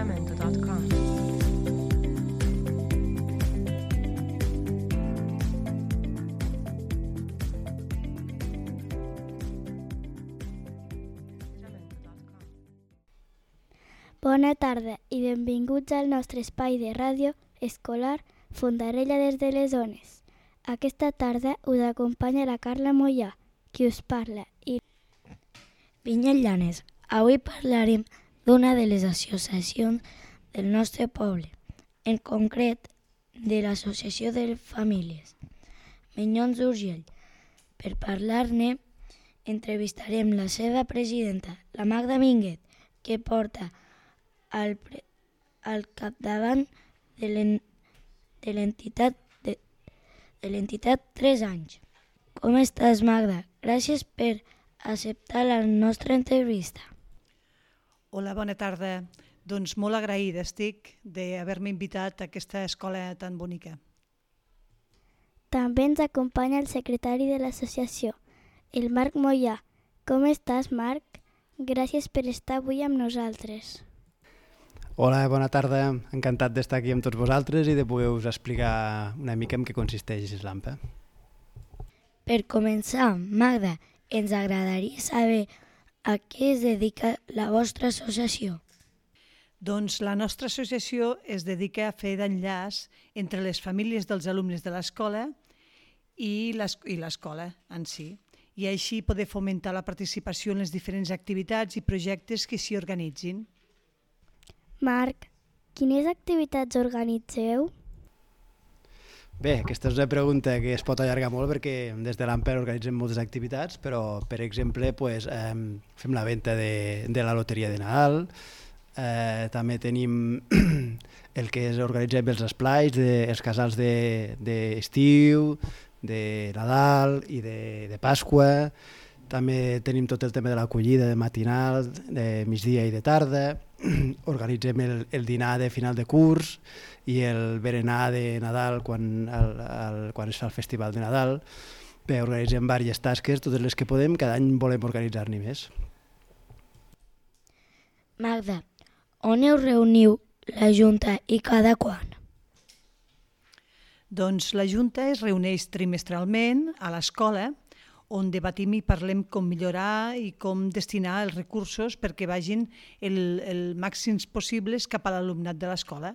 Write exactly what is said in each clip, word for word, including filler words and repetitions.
jamendo punt com. Bona tarda i benvinguts al nostre espai de ràdio escolar Fondarella des de les Ones. Aquesta tarda us acompanya la Carla Mollà, qui us parla. I... Vinyet Llanes, avui parlarem d'una de les associacions del nostre poble, en concret de l'Associació de Famílies Minyons d'Urgell. Per parlar-ne, entrevistarem la seva presidenta, la Magda Minguet, que porta al, pre, al capdavant de l'entitat de, de l'entitat tres anys. Com estàs, Magda? Gràcies per acceptar la nostra entrevista. Hola, bona tarda. Doncs molt agraïda estic d'haver-me invitat a aquesta escola tan bonica. També ens acompanya el secretari de l'associació, el Marc Mollà. Com estàs, Marc? Gràcies per estar avui amb nosaltres. Hola, bona tarda. Encantat d'estar aquí amb tots vosaltres i de poder-vos explicar una mica en què consisteix l'AMPA. Per començar, Magda, ens agradaria saber a què es dedica la vostra associació. Doncs la nostra associació es dedica a fer d'enllaç entre les famílies dels alumnes de l'escola i l'escola en si, i així poder fomentar la participació en les diferents activitats i projectes que s'hi organitzin. Marc, quines activitats organitzeu? Bé, aquesta és una pregunta que es pot allargar molt perquè des de l'AMPA organitzem moltes activitats, però, per exemple, pues, eh, fem la venda de, de la loteria de Nadal, eh, també tenim el que és organitzem els esplais, de, els casals d'estiu, de, de Nadal i de, de Pasqua. També tenim tot el tema de l'acollida de matinal, de migdia i de tarda. Organitzem el, el dinar de final de curs i el berenar de Nadal quan, el, el, quan es fa el festival de Nadal. Bé, organitzem diverses tasques, totes les que podem, cada any volem organitzar-n'hi més. Magda, on us reuniu la Junta i cada quan? Doncs la Junta es reuneix trimestralment a l'escola, on debatim i parlem com millorar i com destinar els recursos perquè vagin el, el màxims possibles cap a l'alumnat de l'escola.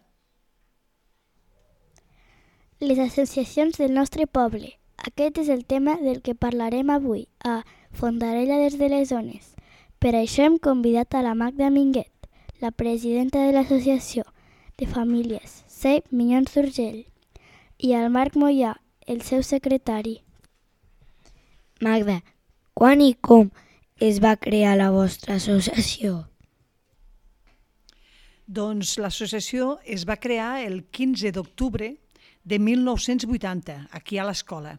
Les associacions del nostre poble. Aquest és el tema del que parlarem avui a Fondarella des de les Ones. Per això hem convidat a la Magda Minguet, la presidenta de l'Associació de Famílies C. Minyons d'Urgell, i al Marc Mollà, el seu secretari. Magda, quan i com es va crear la vostra associació? Doncs l'associació es va crear el quinze d'octubre de mil nou-cents vuitanta, aquí a l'escola,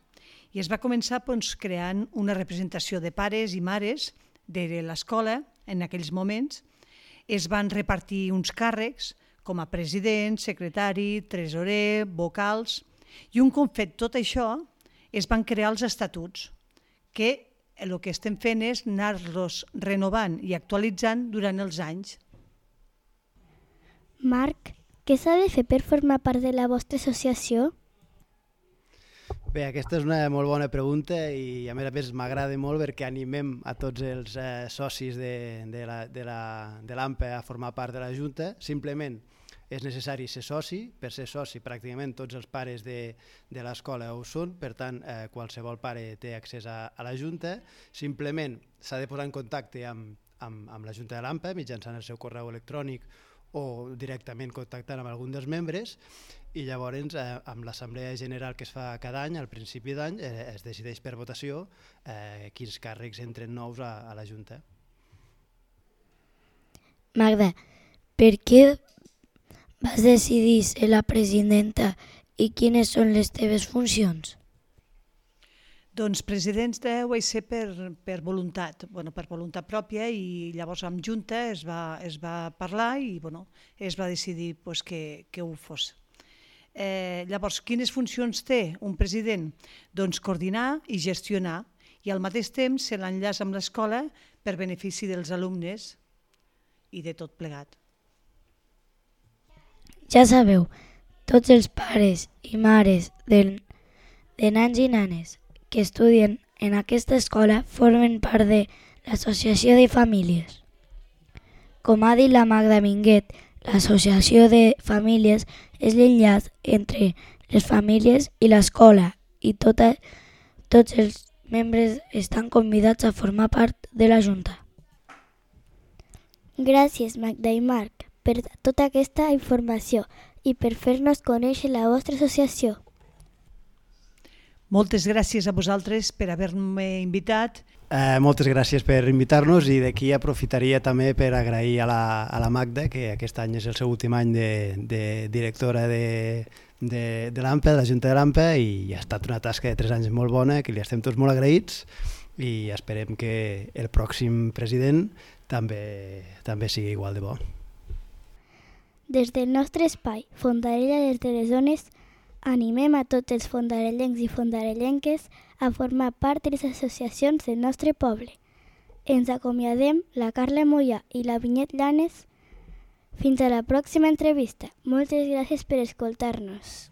i es va començar doncs, creant una representació de pares i mares de l'escola en aquells moments. Es van repartir uns càrrecs com a president, secretari, tresorer, vocals, i un cop fet tot això es van crear els estatuts, que el que estem fent és anar-los renovant i actualitzant durant els anys. Marc, què s'ha de fer per formar part de la vostra associació? Bé, aquesta és una molt bona pregunta i a més a més m'agrada molt perquè animem a tots els eh, socis de, de la, de la, de l'AMPA a formar part de la Junta. Simplement és necessari ser soci. Per ser soci pràcticament tots els pares de, de l'escola ho són, per tant eh, qualsevol pare té accés a, a la Junta. Simplement s'ha de posar en contacte amb, amb, amb la Junta de l'AMPA mitjançant el seu correu electrònic o directament contactant amb algun dels membres, i llavors eh, amb l'assemblea general que es fa cada any, al principi d'any, eh, es decideix per votació eh, quins càrrecs entren nous a, a la Junta. Magda, per què vas decidir ser la presidenta i quines són les teves funcions? Doncs presidenta ho vaig ser per, per voluntat, bueno, per voluntat pròpia, i llavors amb Junta es va, es va parlar i bueno, es va decidir pues, que, que ho fos. Eh, llavors, quines funcions té un president? Doncs coordinar i gestionar, i al mateix temps ser l'enllaç amb l'escola per benefici dels alumnes i de tot plegat. Ja sabeu, tots els pares i mares de, de nans i nanes que estudien en aquesta escola formen part de l'Associació de Famílies. Com ha dit la Magda Minguet, l'Associació de Famílies és l'enllaç entre les famílies i l'escola i tota, tots els membres estan convidats a formar part de la Junta. Gràcies, Magda i Marc, per tota aquesta informació i per fer-nos conèixer la vostra associació. Moltes gràcies a vosaltres per haver-me invitat. Eh, moltes gràcies per invitar-nos i d'aquí aprofitaria també per agrair a la, a la Magda, que aquest any és el seu últim any de, de directora de, de, de l'AMPE, de la Junta de l'AMPE, i ha estat una tasca de tres anys molt bona, que li estem tots molt agraïts i esperem que el pròxim president també, també sigui igual de bo. Des del nostre espai, Fondarella des de les zones, animem a tots els fondarellencs i fondarellenques a formar part de les associacions del nostre poble. Ens acomiadem la Carla Mollà i la Vinyet Llanes. Fins a la pròxima entrevista. Moltes gràcies per escoltar-nos.